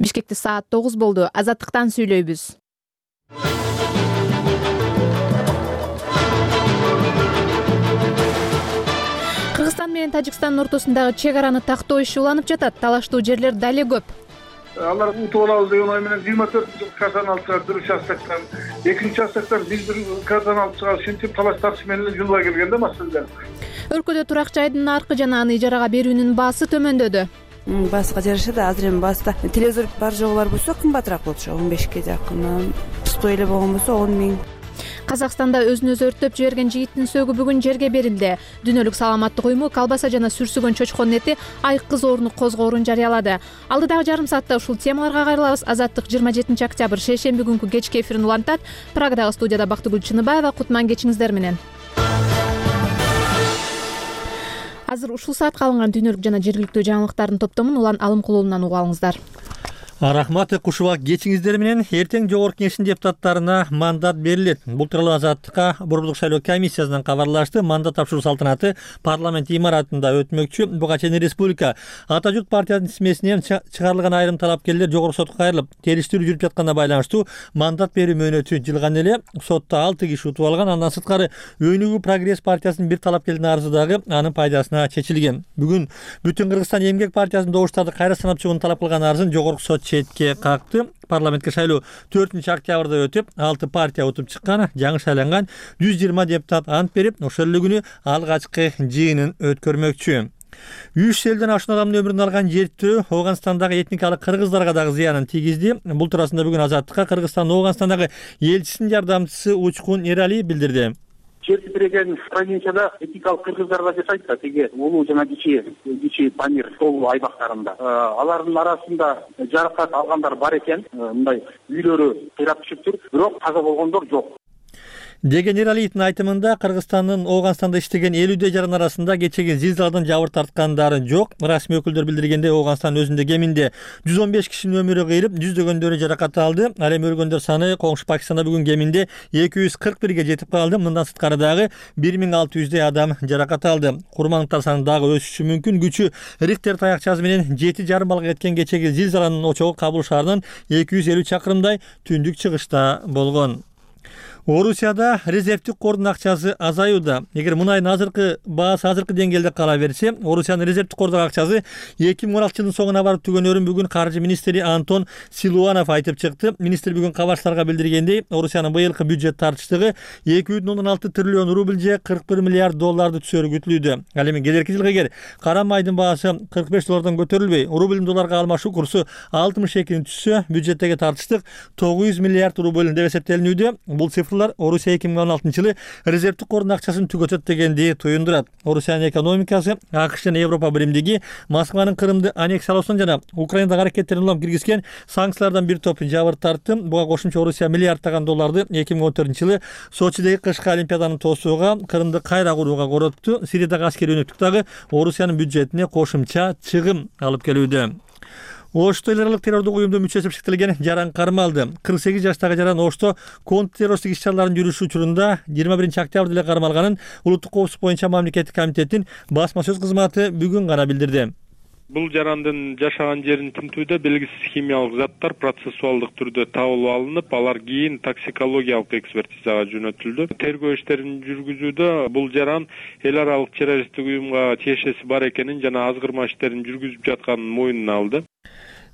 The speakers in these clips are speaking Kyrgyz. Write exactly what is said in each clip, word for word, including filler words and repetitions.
Бишкекте саат тогуз болду. Азаттыктан сүйлөйбүз. Кыргызстан менен Тажикстандын ортосундагы чек араны тактоо иши уланып жатат. Талаштуу жерлер дале көп. Алар утуп алабыз деген ой менен жыйырма төрт картаны алып чыгат, бир участоктон, экинчи участоктон биз бир картаны алып чыгабыз. Ушинтип талаш тартыш менен эле жунула келгенде маселелер. Өлкөдө турак жайдын наркы жана аны ижарага берүүнүн баасы төмөндөдү. Бааска жараша да азыр эми бааста телевизор бар жогу бар болсо кымбатыраак болчу, он бешке жакын. Пустой эле болгон болсо он миң. Казакстанда өзүн өзү өрттөп жиберген жигиттин сөөгү бүгүн жерге берилди. Дүйнөлүк саламаттык уюму колбаса жана сүрсүгөн чочконун эти айкыз оорунук козгоорун жарыялады. Алдыдагы жарым саатта ушул темаларга кайрылабыз. Азаттык жыйырма жетинчи октябрь шейшемби күнкү кечки эфирин улантат. Прагадагы студияда Бактыгүл Чыныбаева. Кутман кечиңиздер менен. Азыр ушул саатка алынган дүйнөлүк жана жергиликтүү жаңылыктардын топтомун Улан Алымкулуулунан угуп алыңыздар. Рахмат, кушуба кечиңиздер менен. Эртең жогорку кеңештин депутаттарына мандат берилет. Бул тууралуу Азаттыкка Борбордук шайлоо комиссиясынан кабарлашты. Мандат тапшыруу салтанаты парламент имаратында өтмөкчү. Буга чейин республика Ата журт партиясынын тизмесинен чыгарылган айрым талапкерлер жогорку сотко кайрылып, териштирүү жүрүп жатканына байланыштуу мандат берүү мөөнөтү жылган эле. Сотто алты киши утуп алган. Андан сырткары Өнүгүү прогресс партиясынын бир талапкердин арызы дагы анын пайдасына чечилген. Бүгүн Бүтүн Кыргызстан эмгек партиясынын добуштарды кайра санап чыгууну талап кылган арызын жогорку сот четке какты. Парламентке шайлоо төртүнчү октябрда өтүп, алты партия утуп чыккан. Жаңы шайланган жүз жыйырма депутат ант берип, ошол эле күнү алгачкы жыйынын өткөрмөкчү. үч элден ашуун адамдын өмүрүн алган жертөө Ооганстандагы этникалык кыргыздарга дагы зыянын тийгизди. Бул туурасында бүгүн Азаттыкка Кыргызстандын Ооганстандагы элчисинин жардамчысы Учкун Эралиев билдирди. Жер титиреген провинцияда этникалык кыргыздарга жашайт да, тиги улуу жана кичи кичи Памир тоо айбактарында. Алардын арасында жаракат алгандар бар экен, мындай үйлөрү кыйрап түшүптүр, бирок каза болгондор жок. Деген Эралиевдин айтымында Кыргызстандын Ооганстанда иштеген элүүдөй жаран арасында кечеги зилзаладан жабыр тарткандары жок. Расмий өкүлдөр билдиргендей, Ооганстандын өзүндө кеминде жүз он беш кишинин өмүрү кыйрып, жүздөгөндөрү жаракат алды. Ал эми өлгөндөр саны коңшу Пакистанда бүгүн кеминде эки жүз кырк бирге жетип калды. Мындан сырткары дагы бир миң алты жүздөй адам жаракат алды. Курмандыктар саны дагы өсүшү мүмкүн. Күчү Рихтер таякчасы менен жети жарым балга кеткен кечеги зилзаланын очогу Кабул шаарынан эки жүз элүү чакырымдай түндүк чыгышта болгон. Орусияда резервдик кордун акчасы азаюуда. Эгер мунайдын азыркы баасы азыркы деңгээлде кала берсе, Орусиянын резервдик кордук акчасы эки миң он алтынчы жылдын соңуна барып түгөнөрүн бүгүн каржы министри Антон Силуанов айтып чыкты. Министр бүгүн кабарчыларга билдиргендей, Орусиянын быйылкы бюджет тартыштыгы эки бүтүн ондон алты триллион рубль же кырк бир миллиард долларды түзөрү күтүлүүдө. Ал эми келерки жылга эгер кара майдын баасы кырк беш доллардан көтөрүлбөй, рублдун долларга алмашуу курсу алтымыш экини түзсө, бюджеттеги тартыштык тогуз жүз миллиард рубль деп эсептелинүүдө. Бул Орусия эки миң он алтынчы жылы резервдик кордун акчасын түгөтөт дегенди туюндурат. Орусиянын экономикасы АКШ жана Европа биримдиги Москванын Крымды аннексиялоосун жана Украинадагы аракеттерин улам киргизген санкциялардан бир топ жабыр тартты. Буга кошумча Орусия миллиарддаган долларды эки миң он төртүнчү жылы Сочидеги кышкы олимпиаданы тоосууга, Крымды кайра курууга коротту. Сириядагы аскерий өнөктүк дагы Орусиянын бюджетине кошумча чыгым алып келүүдө. Ошто эл аралык террордук уюмдун мүчөсү деп шектелген жаран кармалды. кырк сегиз жаштагы жаран Ошто контртеррористтик иш-чараларын жүргүзүү учурунда жыйырма биринчи октябрда эле кармалганын Улуттук коопсуздук боюнча мамлекеттик комитеттин басма сөз кызматы бүгүн гана билдирди. Бул жарандын жашаган жерин тинтүүдө белгисиз химиялык заттар процессуалдык түрдө табылып алынып, алар кийин токсикологиялык экспертизага жөнөтүлдү. Тергөө иштерин жүргүзүүдө бул жаран эл аралык террористтик уюмга тиешеси бар экенин жана азгырма иштерин жүргүзүп жатканын мойнуна алды.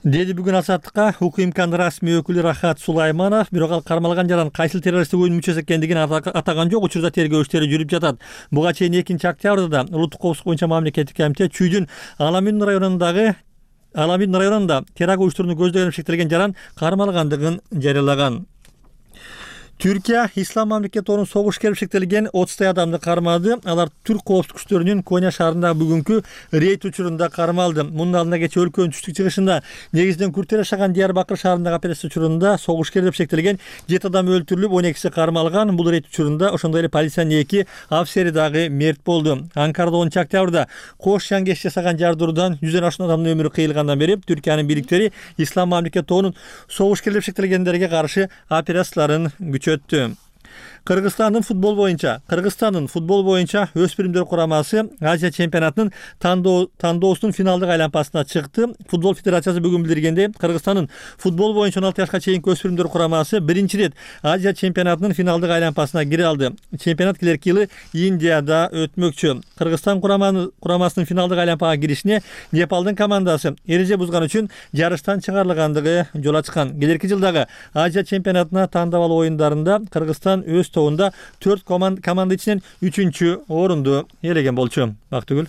Деди бүгүн Азаттыкка УКМКнын расмий өкүлү Рахат Сулайманов. Бирок ал кармалган жаран кайсыл террористтик уюмдун мүчөсү экендигин атаган жок. Учурда тергөө иштери жүрүп жатат. Буга чейин экинчи октябрда Улуттук коопсуздук боюнча мамлекеттик комитет Чүйдүн Аламин районундагы Аламин районунда террор уюштурууну көздөгөн шектелген жаран кармалгандыгын жарыялаган. Түркия Ислам мамлекети согуш керип шектелген отуздай адамды кармады. Алар түрк коопсуздук күчтөрүнүн Коня шаарындагы бүгүнкү рейд учурунда кармалды. Мунун алдында кечээ өлкөнүн түштүк чыгышында негизинен күрттөр жашаган Диярбакыр шаарындагы операция учурунда согуш керип шектелген жети адам өлтүрүлүп, он экиси кармалган. Бул рейд учурунда ошондой эле полициянын эки афисери дагы мерт болду. Анкарада онунчу октябрда кош жаңгеш жасаган жардыруудан жүздөн ашуун адамдын өмүрү кыйылгандан бери Түркиянын бийликтери Ислам мамлекети тобунун согуш керип шектелгендерге каршы операцияларын өттү. Кыргызстандын футбол боюнча Кыргызстандын футбол боюнча өспүрүмдөр курамасы Азия чемпионатынын тандоосунун финалдык айланпасына чыкты. Футбол федерациясы бүгүн билдиргендей, Кыргызстандын футбол боюнча он алты жашка чейинки өспүрүмдөр курамасы биринчи рет Азия чемпионатынын финалдык айланпасына кире алды. Чемпионат келерки жылы Индияда өтмөкчү. Кыргызстан курамасынын финалдык айланпага киришине Непалдын командасы эреже бузган үчүн жарыштан чыгарылгандыгы жол ачкан. Келерки жылдагы Азия чемпионатына тандап алуу оюндарында Кыргызстан өз тобунда төрт команда ичинен үчүнчү орунду ээлеген болчу. Бактыгүл.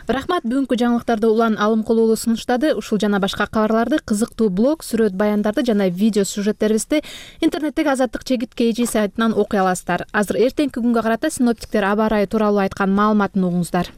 Рахмат, бүгүнкү жаңылыктарды Улан Алымкулуулу сунуштады. Ушул жана башка кабарларды, кызыктуу блог, сүрөт баяндарды жана видео сюжеттерибизди интернеттеги Азаттык Чегит кей жи сайтынан окуй аласыздар. Азыр эртеңки күнгө карата синоптиктер аба ырайы тууралуу айткан маалыматын угуңуздар.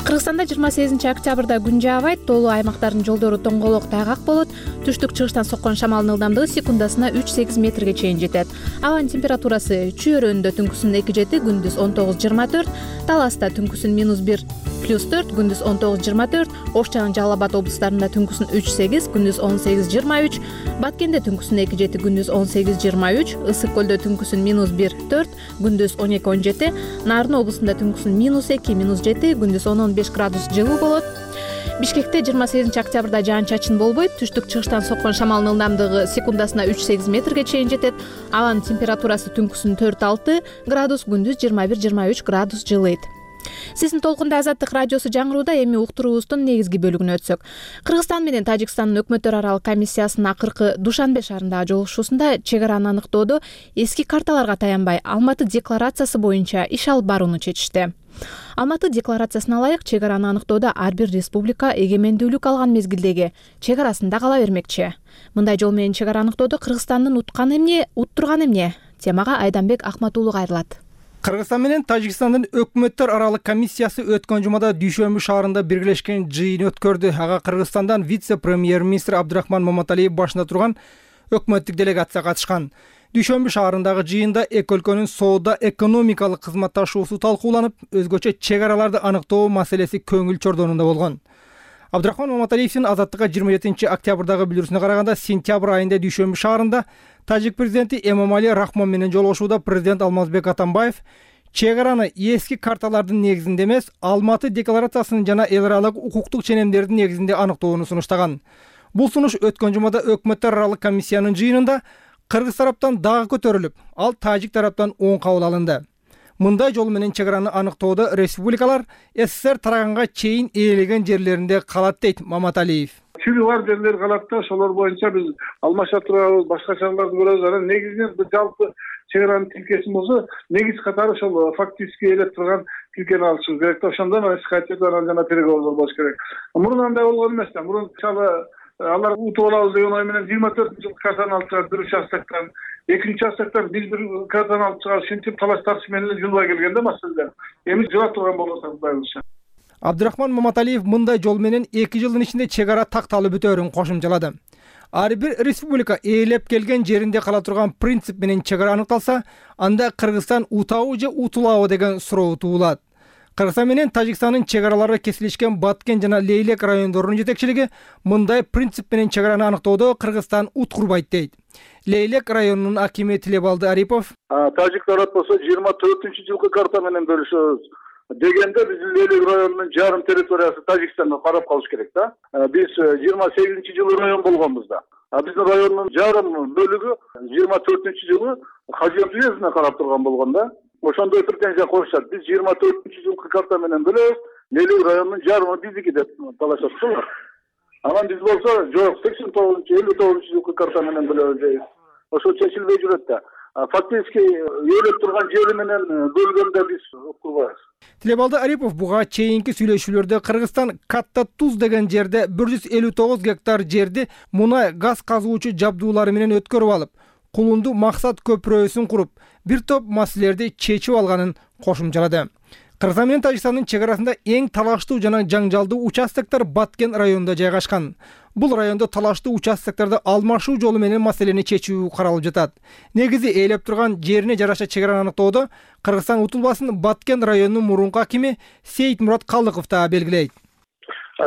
Кыргызстанда жыйырма сегизинчи октябрда күн жаабайт, тоолуу аймактардын жолдору тоңголок тайгак болот. Түштүк чыгыштан соккон шамалдын ылдамдыгы секундасына үч сегиз метрге чейин жетет. Абанын температурасы Чүйөрөндө түнкүсүн эки жети, күндүз он тогуз жыйырма төрт, Таласта түнкүсүн минус бир плюс төрт, күндүз он тогуз жыйырма төрт, Ош жана Жалал Абад облустарында түнкүсүн үч сегиз, күндүз он сегиз жыйырма үч, Баткенде түнкүсүн эки жети, күндүз он сегиз жыйырма үч, Ысык көлдө түнкүсүн минус бир төрт, күндүз он эки он жети, Нарын облусунда түнкүсүн минус эки минус жети, күндүз он он беш градус жылуу болот. Бишкекте жыйырма сегизинчи октябрда жаан чачын болбойт. Түштүк чыгыштан соккон шамалдын ылдамдыгы секундасына үч сегиз метрге чейин жетет. Абанын температурасы түнкүсүн төрт алты градус, күндүз жыйырма бир жыйырма үч градус жылыйт. Сиздин толкунда Азаттык радиосу жаңырууда. Эми уктуруубуздун негизги бөлүгүнө өтсөк. Кыргызстан менен Тажикстандын өкмөттөр аралык комиссиясынын акыркы Душанбе шаарындагы жолугушуусунда чек араны аныктоодо эски карталарга таянбай Алматы декларациясы боюнча иш алып барууну чечишти. Алматы декларациясына ылайык чек араны аныктоодо ар бир республика эгемендүүлүк алган мезгилдеги чек арасында кала бермекчи. Мындай жол менен чек ара аныктоодо Кыргызстандын утканы эмне, уттурганы эмне? Темага Айданбек Акматуулу кайрылат. Кыргызстан менен Тажикстандын өкмөттөр аралык комиссиясы өткөн жумада Дүйшөмбү шаарында биргелешкен жыйын өткөрдү. Ага Кыргызстандан вице-премьер-министр Абдрахман Маматалиев башында турган өкмөттүк делегация катышкан. Дүйшөмбү шаарындагы жыйында эки өлкөнүн соода экономикалык кызматташуусу талкууланып, өзгөчө чек араларды аныктоо маселеси көңүл чордонунда болгон. Абдрахман Маматалиевдин Азаттыкка жыйырма жетинчи октябрдагы билдирүүсүнө караганда, сентябрь айында Дүйшөмбү шаарында Тажик президенти Эмомали Рахмон менен жолугушууда президент Алмазбек Атамбаев чек араны эски карталардын негизинде эмес, Алматы декларациясынын жана эл аралык укуктук ченемдердин негизинде аныктоону сунуштаган. Бул сунуш өткөн жумада өкмөттөр аралык комиссиянын жыйынында Кыргыз тараптан дагы көтөрүлүп, ал Тажик тараптан оң кабыл алынды. Мындай жол менен чек араны аныктоодо республикалар СССР тараганга чейин ээлеген жерлеринде калат дейт Маматалиев. Чүрү бар жерлер калат да, ошолор боюнча биз алмаша турабыз, башка чараларды көрөбүз. Анан негизинен жалпы чек аранын тилкесин болсо, негиз катары ошол фактически ээлеп турган тилкени алышыбыз керек да. Ошондон эч кайчада анан жана переговордор болуш керек. Мурун андай болгон эмес да. Мурун мисалы алар утуп алабыз деген ой менен жыйырма төртүнчү жылы картаны алып чыгып, бир участоктон, экинчи участоктон биз бир картаны алып чыгып, ушинтип талаш тартыш менен жылбай келген да маселелер. Эми жыла турган болсо кудайымызча. Абдрахман Маматалиев мындай жол менен эки жылдын ичинде чек ара такталып бүтөөрүн кошумчалады. Ар бир республика ээлеп келген жеринде кала турган принцип менен чек ара аныкталса, анда Кыргызстан утабы же утулабы деген суроо туулат. Кыргызстан менен Тажикстандын чек аралары кесилишкен Баткен жана Лейлек райондорунун жетекчилиги мындай принцип менен чек араны аныктоодо Кыргызстан уткурбайт дейт. Лейлек районунун акими Тилебалды Арипов: Тажик тарап болсо жыйырма төртүнчү жылкы карта менен бөлүшөбүз дегенде, биз Лейлек районунун жарым территориясы Тажикстанга карап калыш керек да. Биз жыйырма сегизинчи жылы район болгонбуз да. А биздин райондун жарым бөлүгү жыйырма төртүнчү жылы Хажият уездине карап турган болгон да. Ошондой претензия коюшат. Биз жыйырма төртүнчү жылкы карта менен бөлөбүз, Лейлек районунун жарымы биздики деп талашат да. Анан биз болсо жок, сексен тогузунчу элүү тогузунчу жылкы карта менен бөлөбүз дейбиз. Ошо чечилбей жүрөт да. Фактически ээлеп турган жери менен бөлгөндө биз укпайбыз. Тилебалды Арипов буга чейинки сүйлөшүүлөрдө Кыргызстан Катта Туз деген жерде бир жүз элүү тогуз гектар жерди мунай газ казуучу жабдуулары менен өткөрүп алып, Кулунду максат көпүрөсүн куруп, бир топ маселелерди чечип алганын кошумчалады. Кыргызстан менен Тажикстандын чек арасында эң талаштуу жана жаңжалдуу участоктор Баткен районунда жайгашкан. Бул райондо талаштуу участокторду алмашуу жолу менен маселени чечүү каралып жатат. Негизи ээлеп турган жерине жараша чек араны аныктоодо Кыргызстан утулбасын Баткен районунун мурунку акими Сейитмурат Калыков да белгилейт.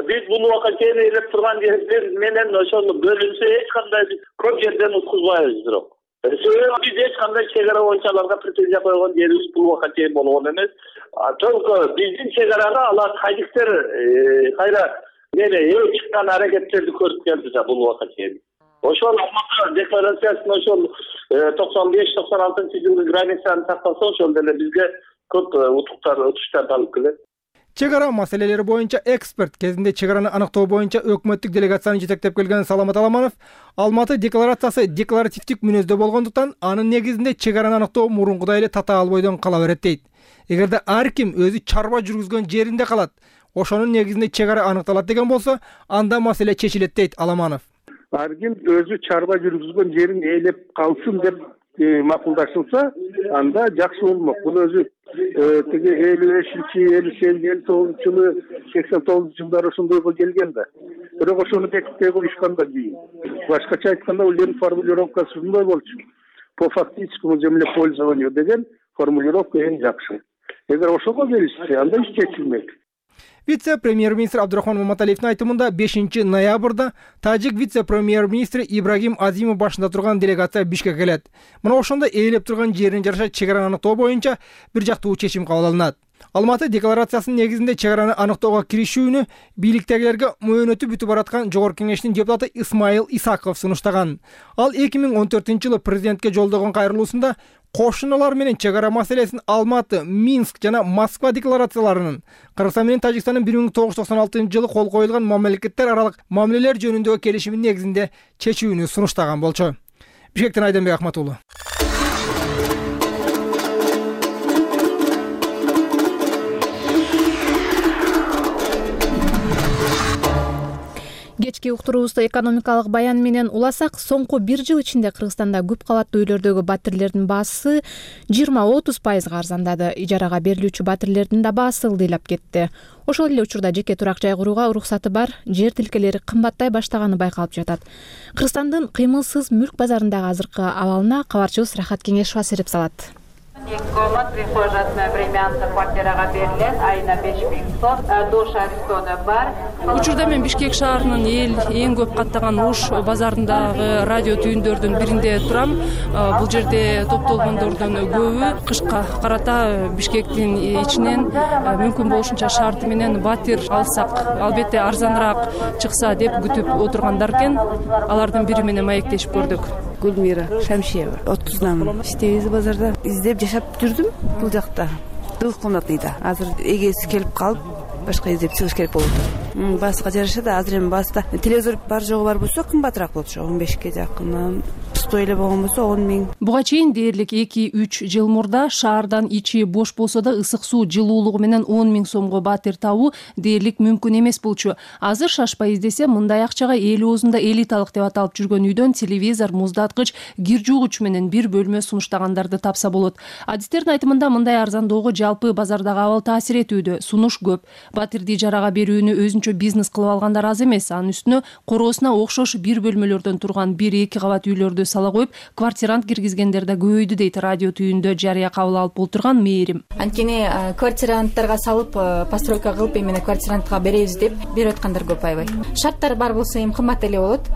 биз бул убакка чейин ээлеп турган жердер менен ошону бөлүнсө эч кандай көп жерден уткузбайбыз. Бирок себеби биз эч кандай чек ара боюнча аларга претензия койгон жерибиз бул убакка чейин болгон эмес. Только биздин чек арага алар тажиктер кайра мени ээ чыккан аракеттерди көрүп келди да бул убакка чейин. Ошол Алматы декларациясын ошол токсон беш токсон алтынчы жылдын границаны сактаса ошол деле бизге көп утуктар утуштарды алып келет. Чек ара маселелери боюнча эксперт кезинде чек араны аныктоо боюнча өкмөттүк делегацияны жетектеп келген Саламат Аламанов Алматы декларациясы декларативдик мүнөздө болгондуктан анын негизинде чек араны аныктоо мурункудай эле татаал бойдон кала берет дейт. Эгерде ар ким өзү чарба жүргүзгөн жеринде калат, ошонун негизинде чек ара аныкталат деген болсо, анда маселе чечилет дейт Аламанов. Ар ким өзү чарба жүргүзгөн жерин ээлеп калсын деп макулдашылса, анда жакшы болмок. Бул өзү тиги элүү бешинчи, элүү сегизинчи, элүү тогузунчу жылы, сексен тогузунчу жылдары ошондойго келген да. Бирок ошону бекитпей коюшкан да кийин. Башкача айтканда, бул жердин формулировкасы ушундай болчу. По фактическому землепользованию деген формулировка эң жакшы. Эгер ошого келишсе, анда иш чечилмек. Вице-премьер-министр Абдрахман Маматалиевдин айтымында бешинчи ноябрда тажик вице-премьер-министри Ибрагим Азимов башында турган делегация Бишкекке келет. Мына ошондо ээлеп турган жерин жараша чек араны аныктоо боюнча бир жактуу чечим кабыл алынат. Алматы декларациясынын негизинде чек араны аныктоого киришүүнү бийликтегилерге мөөнөтү бүтүп бараткан Жогорку Кеңештин депутаты Исмаил Исаков сунуштаган. Ал эки миң он төртүнчү жылы президентке жолдогон кайрылуусунда кошуналар менен чек ара маселесин Алматы, Минск жана Москва декларацияларынын, Кыргызстан менен Тажикстандын бир миң тогуз жүз токсон алтынчы жылы кол коюлган мамлекеттер аралык мамилелер жөнүндөгү келишимин негизинде чечүүнү сунуштаган болчу. Бишкектен Айденбек Ахмат уулу. Кечки уктуруубузду экономикалык баян менен уласак, соңку бир жыл ичинде Кыргызстанда көп кабаттуу үйлөрдөгү батирлердин баасы жыйырма отуз пайызга арзандады. Ижарага берилүүчү батирлердин да баасы ылдыйлап кетти. Ошол эле учурда жеке турак жай курууга уруксаты бар жер тилкелери кымбаттай баштаганы байкалып жатат. Кыргызстандын кыймылсыз мүлк базарындагы азыркы абалына кабарчыбыз Рахат Кеңешова сереп салат. эки комнат, прихожасына времянка квартирага берилет, айына беш миң сом, душ аристона бар. Учурда мен Бишкек шаарынын эл эң көп каттаган Ош базарындагы радио түйүндөрдүн биринде турам. Бул жерде топтолгондордун көбү кышка карата Бишкектин ичинен мүмкүн болушунча шарты менен батир алсак, албетте арзаныраак чыкса деп күтүп отургандар экен. Алардын бири менен маектешип көрдүк. Гүлмира Шамшиева, отуздамын. Иштейбиз базарда. Издеп жашап жүрдүм бул жакта. Двухкомнатныйда. Азыр эгеси келип калып, башка издеп чыгыш керек болуп атат. Бааска жараша да азыр эми бааста телевизор бар жогу бар болсо кымбатыраак болчу. он бешке жакын. Сто эле болгон болсо он миң. Буга чейин дээрлик эки үч жыл мурда шаардан ичи бош болсо да ысык суу жылуулугу менен он миң сомго батир табуу дээрлик мүмкүн эмес болчу. Азыр шашпай издесе мындай акчага эл оозунда элиталык деп аталып жүргөн үйдөн телевизор, муздаткыч, кир жуугуч менен бир бөлмө сунуштагандарды тапса болот. Адистердин айтымында мындай арзандоого жалпы базардагы абал таасир этүүдө. Сунуш көп. Батирди ижарага берүүнү өзүнчө бизнес кылып алгандар аз эмес. Анын үстүнө короосуна окшош бир бөлмөлөрдөн турган бир эки кабат үйлөрдү сала коюп, квартирант киргизгендер да көбөйдү дейт радио түйүндө жарыя кабыл алып отурган Мээрим. Анткени квартиранттарга салып, постройка кылып эмне квартирантка беребиз деп берип аткандар көп аябай. Шарттар бар болсо эми кымбат эле болот.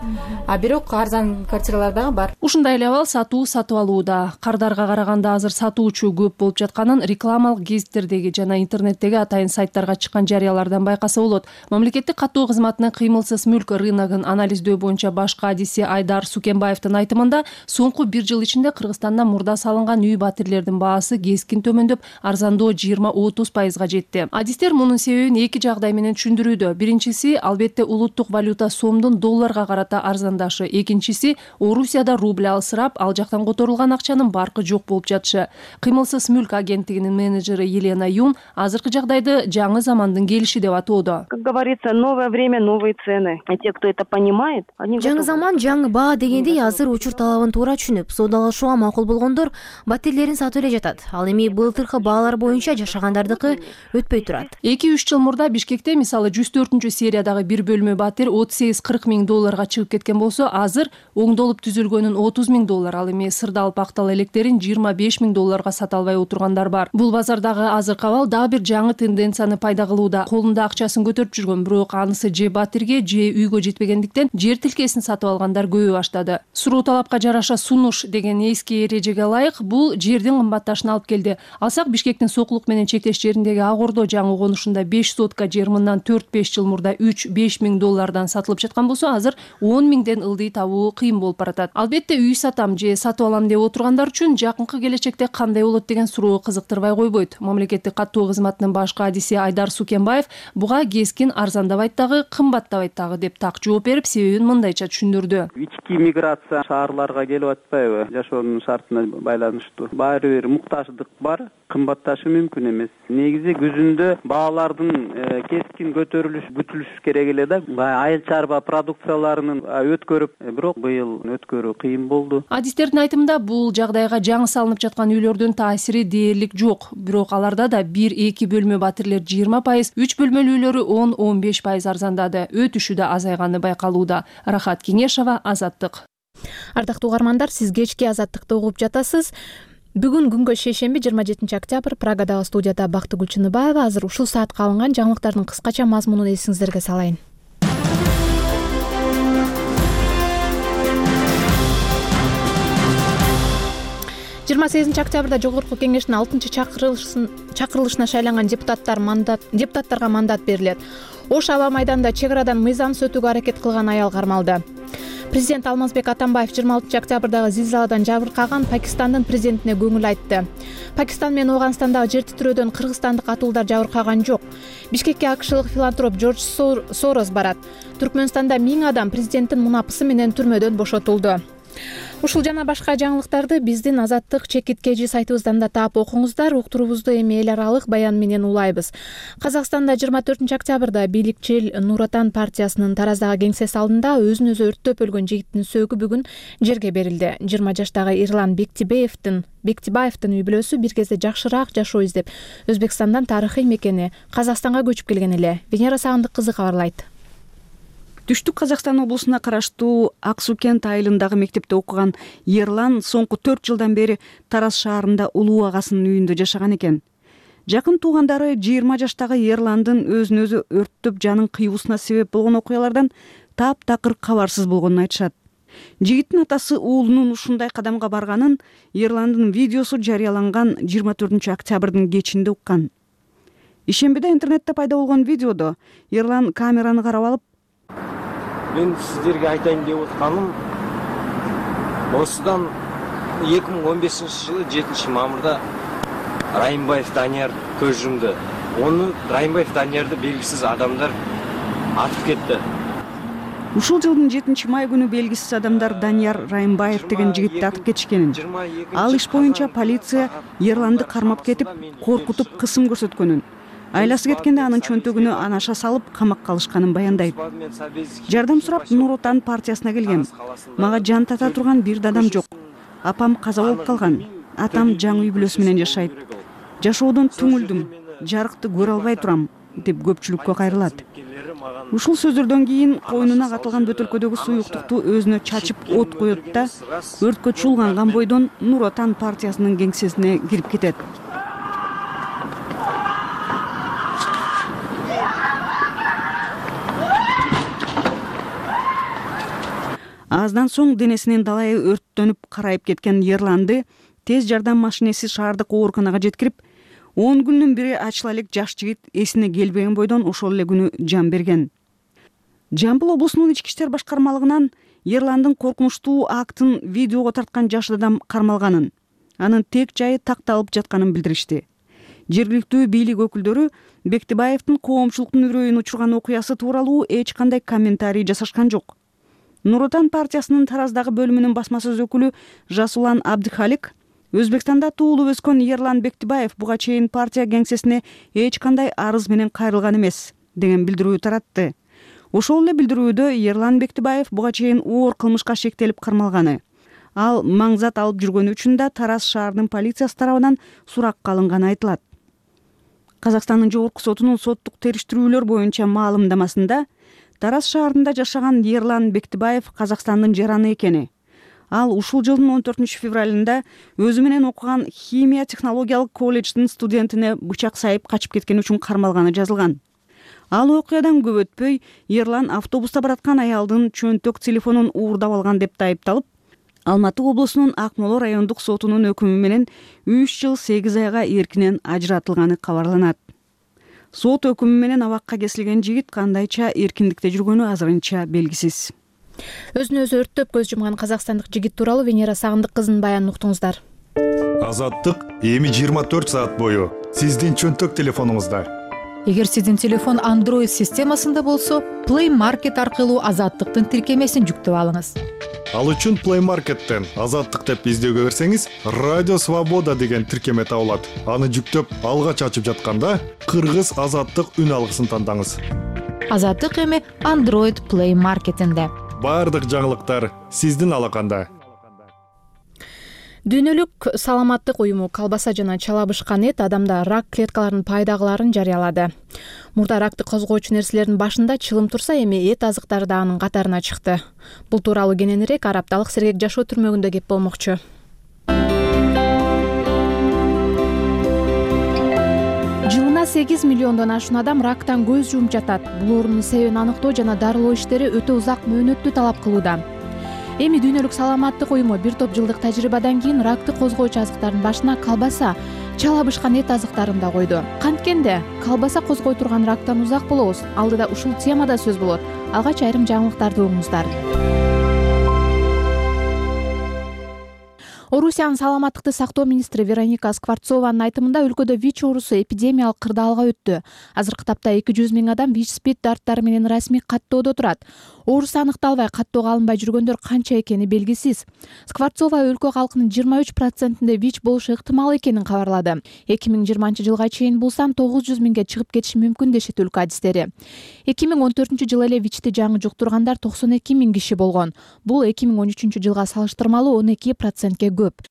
А бирок арзан квартиралар дагы бар. Ушундай эле абал сатуу сатып алууда. Кардарга караганда азыр сатуучу көп болуп жатканын рекламалык гезиттердеги жана интернеттеги атайын сайттарга чыккан жарыялардан байкаса болот. Мамлекеттик каттоо кызматынын кыймылсыз мүлк рыногун анализдөө боюнча башкы адиси Айдар Сукенбаевдин айтымында соңку бир жыл ичинде Кыргызстанда мурда салынган үй батирлердин баасы кескин төмөндөп, арзандоо жыйырма отуз пайызга жетти. Адистер мунун себебин эки жагдай менен түшүндүрүүдө. Биринчиси албетте улуттук валюта сомдун долларга карата арзандашы. Экинчиси Орусияда рубль алсырап, ал жактан которулган акчанын баркы жок болуп жатышы. Кыймылсыз мүлк агенттигинин менеджери Елена Юн азыркы жагдайды жаңы замандын келиши деп атоодо. Как говорится, новое время, новые цены. И те, кто это понимает, они жаңы заман, жаңы баа дегендей азыр учур талабын туура түшүнүп, соодалашууга макул болгондор батирлерин сатып эле жатат. Ал эми былтыркы баалар боюнча жашагандардыкы өтпөй турат. эки үч жыл мурда Бишкекте мисалы жүз төртүнчү сериядагы бир бөлмө батир отуз сегиз кырк миң долларга чыгып кеткен болсо, азыр оңдолуп түзүлгөнүн отуз миң доллар, ал эми сырдалып актал электерин жыйырма беш миң долларга сата албай отургандар бар. Бул базардагы азыркы абал дагы бир жаңы тенденцияны пайда кылууда. Колунда акчасын көтөрүп жүргөн болгон, бирок анысы же батирге же үйгө жетпегендиктен жер тилкесин сатып алгандар көбөйө баштады. Суроо талапка жараша сунуш деген эски эрежеге ылайык бул жердин кымбатташына алып келди. Алсак, Бишкектин Сокулук менен чектеш жериндеги Ак Ордо жаңы конушунда беш сотка жер мындан төрт беш жыл мурда үч беш миң доллардан сатылып жаткан болсо, азыр он миңден ылдый табуу кыйын болуп баратат. Албетте, үй сатам же сатып алам деп отургандар үчүн жакынкы келечекте кандай болот деген суроо кызыктырбай койбойт. Мамлекеттик каттоо кызматынын баш кадиси Айдар Сукенбаев буга кескин арзандабайт дагы, кымбаттабайт дагы деп так жооп берип, себебин мындайча түшүндүрдү. Ички миграция шаарларга келип атпайбы? Жашоонун шартына байланыштуу. Баары бир муктаждык бар, кымбатташы мүмкүн эмес. Негизи күзүндө баалардын кескин көтөрүлүш күтүлүш керек эле да. Айыл чарба продукцияларынын өткөрүп, бирок быйыл өткөрүү кыйын болду. Адистердин айтымында бул жагдайга жаңы салынып жаткан үйлөрдүн таасири дээрлик жок. Бирок аларда да бир эки бөлмө батирлер жыйырма пайыз, үч бөлмөлүү үйлөрү он он беш пайыз арзандады. Өтүшү да азайганы байкалууда. Рахат Кеңешова, Азаттык. Ардактуу угармандар, сиз кечки Азаттыкты угуп жатасыз. Бүгүн күнгө шейшемби жыйырма жетинчи октябрь Прагадагы студияда Бактыгүл Чыныбаева. Азыр ушул саатка алынган жаңылыктардын кыскача мазмунун эсиңиздерге салайын. жыйырма сегизинчи октябрда Жогорку Кеңештин алтынчы чакырылышына шайланган депутаттар мандат депутаттарга мандат берилет. Ош аба майданында чек арадан мыйзамсыз өтүүгө аракет кылган аял кармалды. Президент Алмазбек Атамбаев жыйырма алтынчы октябрдагы зилзаладан жабыркаган Пакистандын президентине көңүл айтты. Пакистан менен Ооганстандагы жер титирөөдөн кыргызстандык атуулдар жабыркаган жок. Бишкекке акшылык филантроп Джордж Сорос барат. Түркмөнстанда миң адам президенттин мунапысы менен түрмөдөн бошотулду. Ушул жана башка жаңылыктарды биздин Азаттык чекиткежи сайтыбыздан да таап окуңуздар. Уктуруубузду эми эл аралык баян менен улайбыз. Казакстанда жыйырма төртүнчү октябрда бийликчил Нур Отан партиясынын Тараздагы кеңсеси алдында өзүн өзү өрттөп өлгөн жигиттин сөөгү бүгүн жерге берилди. жыйырма жаштагы Ирлан Бектибаевдин Бектибаевдин үй бүлөсү бир кезде жакшыраак жашоо издеп Өзбекстандан тарыхый мекени Казакстанга көчүп келген эле. Венера Сагындык кызы кабарлайт. Түштүк Казакстан облусуна караштуу Ак Суу кент айылындагы мектепте окуган Ерлан соңку төрт жылдан бери Тараз шаарында улуу агасынын үйүндө жашаган экен. Жакын туугандары жыйырма жаштагы Ерландын өзүн өзү өрттөп жанын кыйуусуна себеп болгон окуялардан таптакыр кабарсыз болгонун айтышат. Жигиттин атасы уулунун ушундай кадамга барганын Ерландын видеосу жарыяланган жыйырма төртүнчү октябрдын кечинде уккан. Ишембиде интернетте пайда болгон видеодо Ерлан камераны карап алып: мен сиздерге айтайын деп атканым, осудан эки миң он бешинчи жылы жетинчи мамырда Райымбаев Данияр көз жумду. Оны Райымбаев Даниярды белгисиз адамдар атып кетти. Ушул жылдын жетинчи май күнү белгисиз адамдар Данияр Райымбаев деген жигитти атып кетишкенин. Ал иш боюнча полиция Ерланды кармап кетип, коркутуп кысым көрсөткөнүн, айласы кеткенде анын чөнтөгүнө анаша салып камакка алышканын баяндайт. Жардам сурап Нур Отан партиясына келгем. Мага жан тата турган бир да адам жок. Апам каза болуп калган. Атам жаңы үй бүлөсү менен жашайт. Жашоодон түңүлдүм. Жарыкты көрө албай турам, деп көпчүлүккө кайрылат. Ушул сөздөрдөн кийин койнуна катылган бөтөлкөдөгү суюктукту өзүнө чачып от коет да өрткө чуулганган бойдон Нур Отан партиясынын кеңсесине кирип кетет. Аздан соң денесинин далайы өрттөнүп карайып кеткен Ерланды тез жардам машинеси шаардык ооруканага жеткирип, он күндүн бири ачыла элек жаш жигит эсине келбеген бойдон ошол эле күнү жан берген. Жамбыл облусунун ички иштер башкармалыгынан Ерландын коркунучтуу актын видеого тарткан жаш адам кармалганын, анын тек жайы такталып жатканын билдиришти. Жергиликтүү бийлик өкүлдөрү Бектибаевдин коомчулуктун үрөйүн учурган окуясы тууралуу эч кандай комментарий жасашкан жок. Нур Отан партиясынын Тараздагы бөлүмүнүн басма сөз өкүлү Жасулан Абдыхалик Өзбекстанда туулуп өскөн Ерлан Бектибаев буга чейин партия кеңсесине эч кандай арыз менен кайрылган эмес деген билдирүү таратты. Ошол эле билдирүүдө Ерлан Бектибаев буга чейин оор кылмышка шектелип кармалганы. Ал маңзат алып жүргөнү үчүн да Тараз шаарынын полициясы тарабынан суракка алынганы айтылат. Казакстандын жогорку сотунун соттук териштирүүлөр боюнча маалымдамасында Тараз шаарында жашаган Ерлан Бектибаев Казакстандын жараны экени. Ал ушул жылдын он төртүнчү февралында өзү менен окуган химия технологиялык колледждин студентине бычак сайып качып кеткен үчүн кармалганы жазылган. Ал окуядан көп өтпөй Ерлан автобуста бараткан аялдын чөнтөк телефонун уурдап алган деп айыпталып, Алматы облусунун Акмола райондук сотунун өкүмү менен үч жыл сегиз айга эркинен ажыратылганы кабарланат. Сот өкүмү менен абакка кесилген жигит кандайча эркиндикте жүргөнү азырынча белгисиз. Өзүн өзү өрттөп көз жумган казакстандык жигит тууралуу Венера Сагындык кызынын баянын уктуңуздар. Азаттык эми жыйырма төрт саат бою сиздин чөнтөк телефонуңузда. Эгер сиздин телефон Android системасында болсо, Play Market аркылуу Азаттыктын тиркемесин жүктөп алыңыз. Ал үчүн Play Market'тен Азаттык деп издөөгө берсеңиз, Радио Свобода деген тиркеме табылат. Аны жүктөп, алгач ачып жатканда Кыргыз Азаттык үн алгысын тандаңыз. Азаттык эми Android Play Market'инде. Бардык жаңылыктар сиздин алаканда. Дүйнөлүк саламаттык уюму колбаса жана чалабышкан эт адамда рак клеткаларынын пайдаларын жарыялады. Мурда ракты козгоочу нерселердин башында чылым турса, эми эт азыктары да анын катарына чыкты. Бул тууралуу кененирээк Арапталык Сергек жашоо түрмөгүндө кеп болмокчу. Жылына сегиз миллиондон ашуун адам рактан көз жумуп жатат. Бул оорунун себебин аныктоо жана дарылоо иштери өтө узак мөөнөттү талап кылууда. Эми Дүйнөлүк саламаттык уюму бир топ жылдык тажрыйбадан кийин ракты козгоочу азыктардын башына колбаса, чалабышкан эт азыктарын да койду. Канткенде колбаса козгой турган рактан узак болобуз. Алдыда ушул темада сөз болот. Алгач айрым жаңылыктарды угуңуздар. Орусиянын саламаттыкты сактоо министри Вероника Скворцованын айтымында өлкөдө ВИЧ оорусу эпидемиялык кырдаалга өттү. Азыркы тапта эки жүз миң адам ВИЧ-спид дарттары менен расмий каттоодо турат. Оорус аныкталбай каттоого алынбай жүргөндөр канча экени белгисиз. Скворцова өлкө калкынын жыйырма үч процентинде ВИЧ болушу ыктымал экенин кабарлады. эки миң жыйырманчы жылга чейин бул сан тогуз жүз миңге чыгып кетиши мүмкүн дешет өлкө адистери. эки миң он төртүнчү жылы эле ВИЧти жаңы жуктургандар токсон эки миң киши болгон. Бул эки миң он үчүнчү жылга салыштырмалуу он эки процентке көп.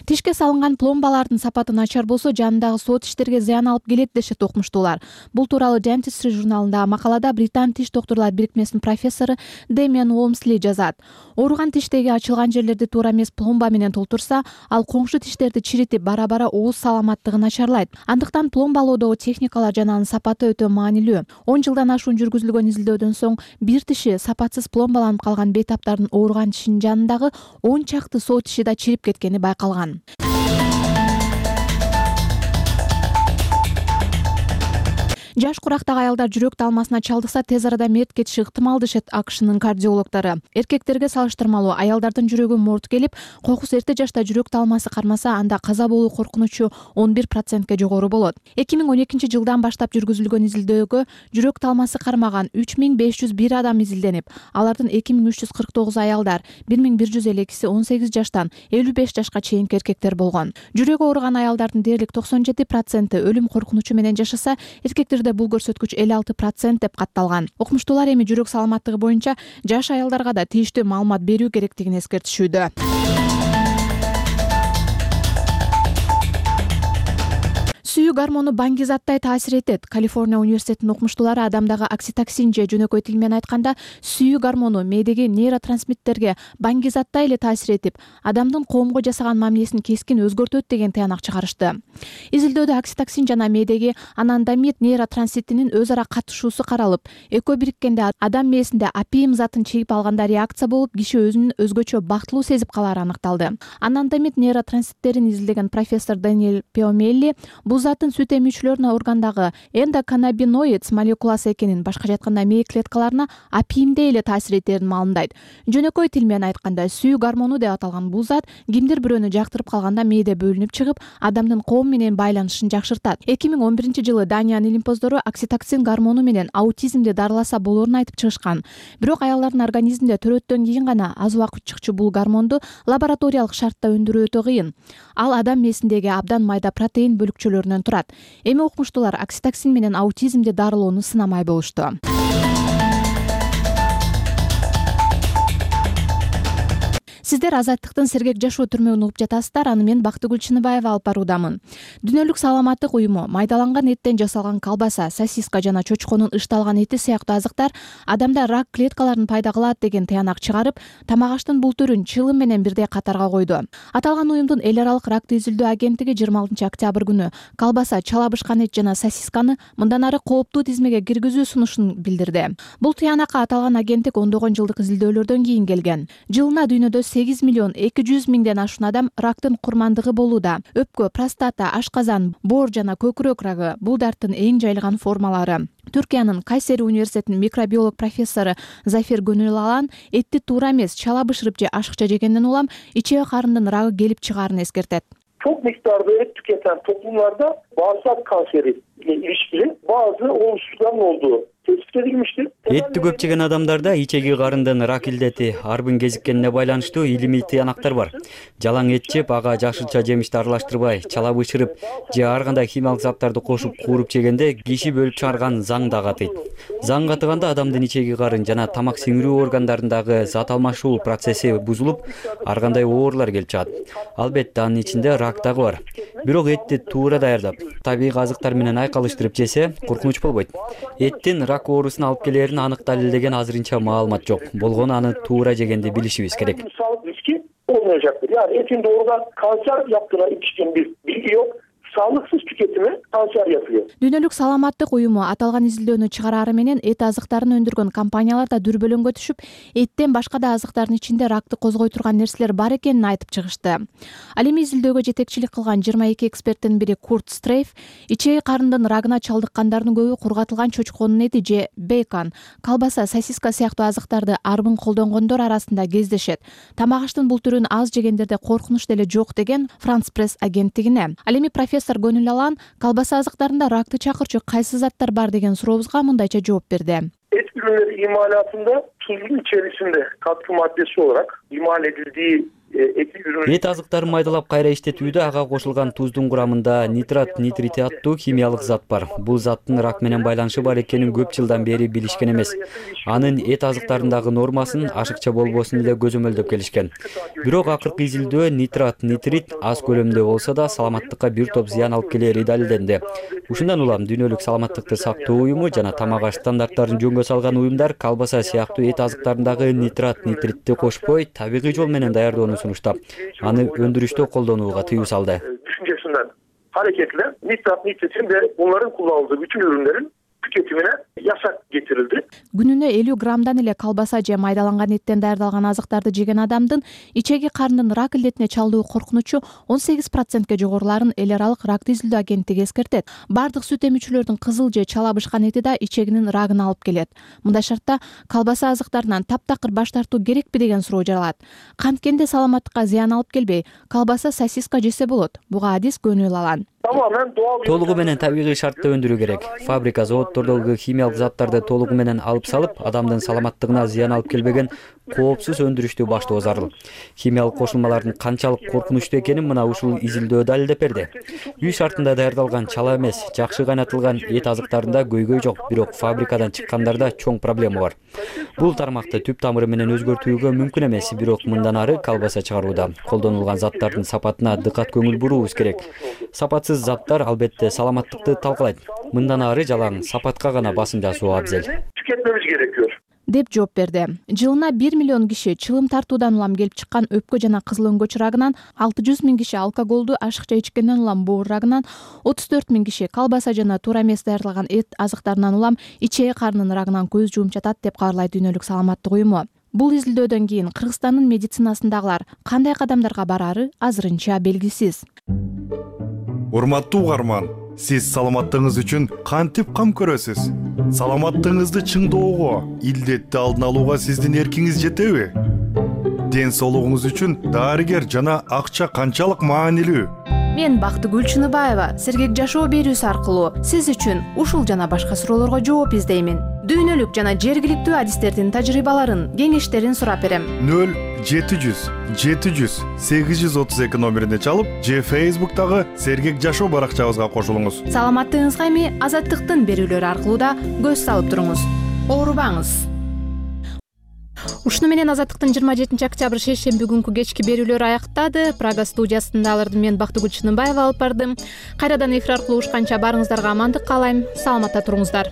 Тишке салынган пломбалардын сапаты начар болсо, жанындагы соо тиштерге зыян алып келет дешет окумуштуулар. Бул тууралуу Dentistry журналындагы макалада Британ тиш доктурлар бирикмесинин профессору Демиан Уолмсли жазат. Ооруган тиштеги ачылган жерлерди туура эмес пломба менен толтурса, ал коңшу тиштерди чиритип, бара-бара ооз саламаттыгы начарлайт. Андыктан пломбалоодогу техникалар жана анын сапаты өтө маанилүү. он жылдан ашуун жүргүзүлгөн изилдөөдөн соң бир тиши сапатсыз пломбаланып калган бейтаптардын ооруган тишинин жанындагы он чакты соо тиши да чирип кеткени байкалган. Жаш курактагы аялдар жүрөк талмасына чалдыкса, тез арада мерт кетиши ыктымал дешет АКШнын кардиологдору. Эркектерге салыштырмалуу аялдардын жүрөгү морт келип, кокус эрте жашта жүрөк талмасы кармаса, анда каза болуу коркунучу он бир процентке жогору болот. эки миң он экинчи жылдан баштап жүргүзүлгөн изилдөөгө жүрөк талмасы кармаган үч миң беш жүз бир адам изилденип, алардын эки миң үч жүз кырк тогузу аялдар, бир миң бир жүз элүү экиси он сегиз жаштан элүү беш жашка чейинки эркектер болгон. Жүрөгү ооруган аялдардын дээрлик токсон жети проценти өлүм коркунучу менен жашаса, эркектер бул көрсөткүч элүү алты процент деп катталган. Окумуштуулар эми жүрөк саламаттыгы боюнча жаш аялдарга да тийиштүү маалымат берүү керектигин эскертишүүдө. Сүйүү гормону баңгизаттай таасир этет. Калифорния университетинин окумуштуулары адамдагы окситоксин же жөнөкөй тил менен айтканда сүйүү гормону мээдеги нейротрансмиттерге баңгизаттай эле таасир этип, адамдын коомго жасаган мамилесин кескин өзгөртөт деген тыянак чыгарышты. Изилдөөдө окситоксин жана мээдеги анандамид нейротрансмиттинин өз ара катышуусу каралып, экөө бириккенде адам мээсинде апиим затын чегип алганда реакция болуп, киши өзүн өзгөчө бактылуу сезип калары аныкталды. Анандамид нейротрансмиттерин изилдеген профессор Даниэль Пиомелли бул затын сүт эмүүчүлөрдүн органдагы эндоканнабиноид молекуласы экенин, башкача айтканда мээ клеткаларына апиимдей эле таасир этерин маалымдайт. Жөнөкөй тил менен айтканда сүйүү гормону деп аталган бул зат кимдир бирөөнү жактырып калганда мээде бөлүнүп чыгып, адамдын коом менен байланышын жакшыртат. эки миң он биринчи жылы Даниянын илимпоздору окситоксин гормону менен аутизмди дарыласа болоорун айтып чыгышкан. Бирок аялдардын организминде төрөттөн кийин гана аз убакыт чыкчу бул гормонду лабораториялык шартта өндүрүү өтө кыйын. Ал адам мээсиндеги абдан майда протеин бөлүкчөлөрүнөн турат. Эми окумуштуулар окситоксин менен аутизмди дарылоону сынамай болушту. сиздер Азаттыктын Сергек жашоо түрмөгүн угуп жатасыздар. Аны мен Бактыгүл Чыныбаева алып баруудамын. Дүйнөлүк саламаттык уюму майдаланган эттен жасалган колбаса, сосиска жана чочконун ышталган эти сыяктуу азыктар адамда рак клеткаларын пайда кылат деген таянак чыгарып, тамак аштын бул түрүн чылым менен бирдей катарга койду. Аталган уюмдун эл аралык ракты изилдөө агенттиги жыйырма алтынчы октябрь күнү колбаса, чала бышкан эт жана сосисканы мындан ары кооптуу тизмеге киргизүү сунушун билдирди. Бул таянакка аталган агенттик ондогон жылдык изилдөөлөрдөн кийин келген. Жылына дүйнөдө сегиз миллион эки жүз миңден ашуун адам рактын курмандыгы болууда. Өпкө, простата, ашказан, боор жана көкүрөк рагы бул дарттын эң жайылган формалары. Түркиянын Кайсери университетинин микробиолог профессору Зафир Гөнүл Алан этти туура эмес чала бышырып же ашыкча жегенден улам ичеги карындын рагы келип чыгаарын эскертет. Çok miktarda et tüketen toplumlarda bağırsak kanseri ile ilişkili bazı olumsuzlukların olduğu tespit edilmiştir. Etти көп жеген адамдарда ичеги карындын рак илдети арбын кезиккенине байланыштуу илимий тыянактар бар. Жалаң эт жеп, ага жашылча жемишти аралаштырбай, чала бышырып же ар кандай химиялык заттарды кошуп кууруп жегенде киши бөлүп чыгарган заң да катыйт. Заң катыганда адамдын ичеги карын жана тамак сиңирүү органдарындагы зат алмашуу процесси бузулуп, ар кандай оорулар келип чыгат. Албетте анын ичинде рак дагы бар. Бирок этти туура даярдап, табигый азыктар менен айкалыштырып жесе коркунуч болбойт. Эттин рак оорусун алып келерин анык далилдеген азырынча маалымат жок. Болгону аны туура жегенде билишибиз керек. Sağlık riski olmayacaktır. Yani etin doğrudan kanser yaptığına ilişkin bir bilgi yok. Sağlıksız tüketimi kanser yapıyor. Дүйнөлүк саламаттык уюму аталган изилдөөнү чыгарары менен эт азыктарын өндүргөн компаниялар да дүрбөлөңгө түшүп, эттен башка да азыктардын ичинде ракты козгой турган нерселер бар экенин айтып чыгышты. Ал эми изилдөөгө жетекчилик кылган жыйырма эки эксперттин бири Курт Стрейф ичеги карындын рагына чалдыккандардын көбү кургатылган чочконун эти же бейкон, колбаса, сосиска сыяктуу азыктарды арбын колдонгондор арасында кездешет. Тамак аштын бул түрүн аз жегендерде коркунуч деле жок деген France Press агенттигине. Ал эми профессор Гөнүл Алан колбаса азыктарында ракты чакырчу кайсы заттар бар деген сурообузга мындайча жооп берди. Et ürünleri imalatında tuzun içerisinde katkı maddesi olarak imal edildiği эт азыктарын майдалап кайра иштетүүдө ага кошулган туздун курамында нитрат нитрити аттуу химиялык зат бар. Бул заттын рак менен байланышы бар экенин көп жылдан бери билишкен эмес. Анын эт азыктарындагы нормасын ашыкча болбосун эле көзөмөлдөп келишкен. Бирок акыркы изилдөө нитрат нитрит аз көлөмдө болсо да саламаттыкка бир топ зыян алып келери далилденди. Ушундан улам дүйнөлүк саламаттыкты сактоо уюму жана тамак аш стандарттарын жөнгө салган уюмдар колбаса сыяктуу эт азыктарындагы нитрат нитритти кошпой табигый жол менен даярдоону sunuşta аны өндүрүштө колдонууга тыюу салды. Düşüncesinden hareketle nitrat nitritin ve bunların kullanıldığı bütün ürünlerin tüketimine yasak getirildi. Günүнө элүү граммдан эле колбаса же майдаланган эттен даярдалган азыктарды жеген адамдын ичеги карындын рак илдетине чалдуу коркунучу он сегиз процентке жогоруларын эл аралык ракты изилдөө агенттиги эскертет. Бардык сүт эмүүчүлөрдүн кызыл же чала бышкан эти да ичегинин рагын алып келет. Мындай шартта колбаса азыктарынан таптакыр баш тартуу керекпи деген суроо жаралат. Канткенде саламаттыкка зыян алып келбей, колбаса, сосиска жесе болот. Буга адис Гөнүл Алан. Толугу менен табигый шартта өндүрүү керек. Фабрика, заводдордогу химиялык заттарды толугу менен алып салып, адамдын саламаттыгына зыян алып келбеген коопсуз өндүрүштү баштоо зарыл. Химиялык кошулмалардын канчалык коркунучтуу экенин мына ушул изилдөө далилдеп берди. Үй шартында даярдалган чала эмес, жакшы кайнатылган эт азыктарында көйгөй жок, бирок фабрикадан чыккандарда чоң проблема бар. Бул тармакты түп тамыры менен өзгөртүүгө мүмкүн эмес, бирок мындан ары колбаса чыгарууда колдонулган заттардын сапатына дыкат көңүл буруубуз керек. Сапатсыз заттар албетте саламаттыкты талкалайт. Мындан ары жалаң сапатка гана басым жасоо абзел. Tüketmemiz gerekiyor. деп жооп берди. Жылына бир миллион киши чылым тартуудан улам келип чыккан өпкө жана кызыл өңгөч рагынан, алты жүз миң киши алкоголду ашыкча ичкенден улам боор рагынан, отуз төрт миң киши колбаса жана туура эмес даярдалган эт азыктарынан улам ичеги карынын рагынан көз жуумуп жатат деп кабарлайт Дүйнөлүк саламаттык уюму. Бул изилдөөдөн кийин Кыргызстандын медицинасындагылар кандай кадамдарга барары азырынча белгисиз. Урматтуу угарман, сиз саламаттыгыңыз үчүн кантип кам көрөсүз? Саламаттыгыңызды чыңдоого, илдетти алдын алууга сиздин эркиңиз жетеби? Ден соолугуңуз үчүн дарыгер жана акча канчалык маанилүү? Мен Бактыгүл Чыныбаева Сергек жашоо берүүсү аркылуу сиз үчүн ушул жана башка суроолорго жооп издеймин. Дүйнөлүк жана жергиликтүү адистердин тажрыйбаларын, кеңештерин сурап берем. нөл жети жүз жети жүз сегиз жүз отуз эки номерине чалып, же Facebook'тагы Сергек жашоо баракчабызга кошулуңуз. Саламаттыгыңызга эми Азаттыктын берүүлөрү аркылуу да көз салып туруңуз. Оорубаңыз. ушуну менен азаттыктын жыйырма жетинчи октябрь шейшемби күнкү кечки берүүлөрү аягдады. Прага студиясында аларды мен Бактыгүл Чыныбаева алып бардым. Кайрадан эфир аркылуу угушканча баарыңыздарга амандык каалайм. Саламатта туруңуздар.